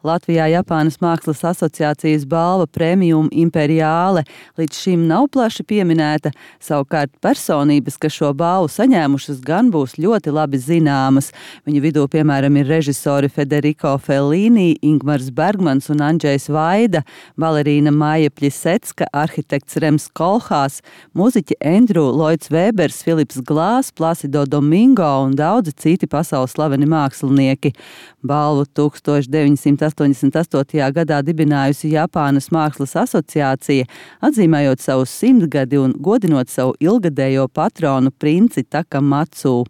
Latvijā Japānas Mākslas asociācijas balva Premium Imperiāle līdz šim nav plaši pieminēta, savukārt personības, kas šo balvu saņēmušas, gan būs ļoti labi zināmas. Viņu vidū, piemēram, ir režisori Federico Fellini, Ingmars Bergmans un Andžejs Vaida, balerīna Maija Pļisecka, arhitekts Rems Kolhās, muziķi Andrew Lloyds Webers, Filips Glās, Placido Domingo un daudzi citi pasaules slaveni mākslinieki. Balvu 1988. gadā dibinājusi Japānas Mākslas asociācija, atzīmējot savu 100 gadi un godinot savu ilgadējo patronu princi Takamatsu.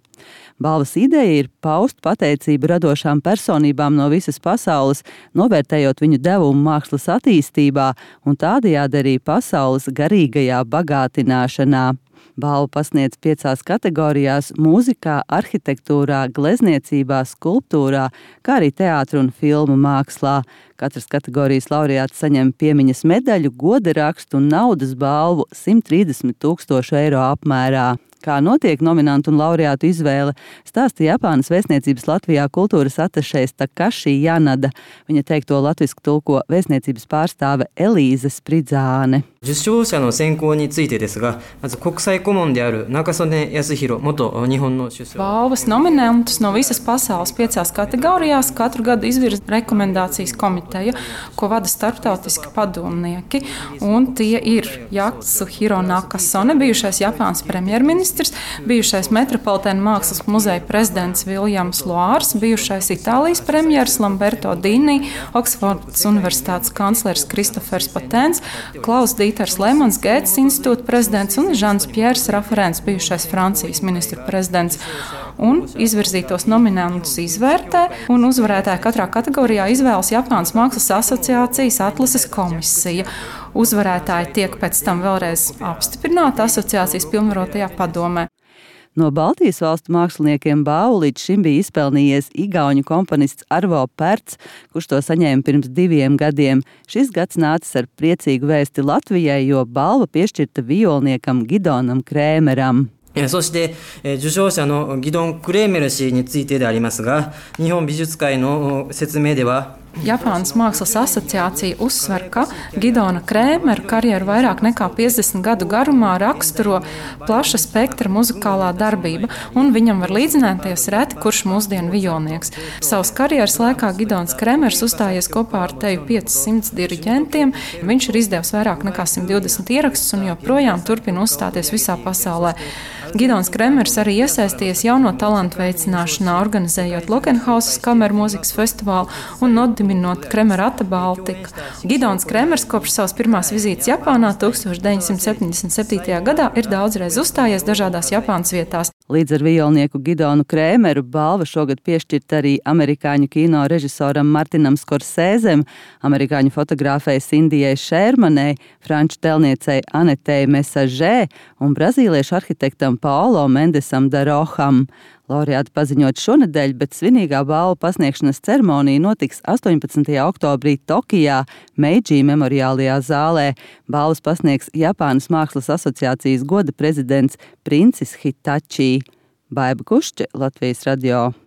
Balvas ideja ir paust pateicību radošām personībām no visas pasaules, novērtējot viņu devumu mākslas attīstībā un tādējādi arī pasaules garīgajā bagātināšanā. Balvu pasniedz 5 kategorijās – mūzikā, arhitektūrā, glezniecībā, skulptūrā, kā arī teātra un filmu mākslā. Katras kategorijas laureāts saņem piemiņas medaļu, goda rakstu un naudas balvu 130 000 eiro apmērā. Kā notiek nominantu un laureātu izvēle, stāsta Japānas vēstniecības Latvijā kultūras atašejs Takashi Janada. Viņa teikto latvisku tulko vēstniecības pārstāve Elīze Spridzāne. 受賞者の選考についてですが、まず国際顧問である中曽根康弘元日本の首相。 Balvas nominantus no visas pasaules 5 kategorijās katru gadu izvirza rekomendācijas komiteja, ko vada starptautiski padomnieki. Un tie ir Yatsuhiro Nakasone, bijušais Japānas premjerministrs, bijušais Metropolitēna mākslas muzeja prezidents Viljams Loārs, bijušais Itālijas premjers Lamberto Dini, Oksfordas universitātes kanclers Kristofers Patēns, Klaus Dīters Lemans, Gētas institūta prezidents un Žans Pjērs Raferents, bijušais Francijas ministru prezidents. Un izvirzītos nominantus izvērtē, un uzvarētāju katrā kategorijā izvēlas Japānas Mākslas asociācijas atlases komisija. Uzvarētāji tiek pēc tam vēlreiz apstiprināti asociācijas pilnvarotajā padomē. No Baltijas valstu māksliniekiem balvu līdz šim bija izpelnījies igauņu komponists Arvo Pērts, kurš to saņēma pirms 2 gadiem. Šis gads nācis ar priecīgu vēsti Latvijai, jo balva piešķirta violniekam Gidonam Krēmeram. そして、受賞者のギドン・クレーメル氏についてでありますが、日本美術会の説明では、 Japānas Mākslas asociācija uzsver, ka Gidona Krēmera karjeru vairāk nekā 50 gadu garumā raksturo plaša spektra muzikālā darbība, un viņam var līdzināties reti kurš mūsdienu violnieks. Savas karjeras laikā Gidons Krēmers uzstājies kopā ar teju 500 diriģentiem. Viņš ir izdevis vairāk nekā 120 ierakstus un joprojām turpina uzstāties visā pasaulē. Gidons Krēmers arī iesaistījies jauno talantu veicināšanā, organizējot Lokenhausas kameru mūzikas festivālu un nodibinot Kremerata Baltika. Gidons Krēmers kopš savas pirmās vizītes Japānā 1977. gadā ir daudzreiz uzstājies dažādās Japānas vietās. Līdz ar violnieku Gidonu Krēmeru balva šogad piešķirta arī amerikāņu kino režisoram Martinam Skorsēzem, amerikāņu fotogrāfei Sindijai Šērmanei, franču telniecei Anetei Mesažē un brazīliešu arhitektam Paulo Mendesam Daroham. Laureāti paziņot šonedēļ, bet svinīgā balvu pasniegšanas ceremonija notiks 18. oktobrī Tokijā, Meidži memoriālajā zālē. Balvas pasniegs Japānas Mākslas asociācijas goda prezidents Princis Hitachi. Baiba Kušķe, Latvijas radio.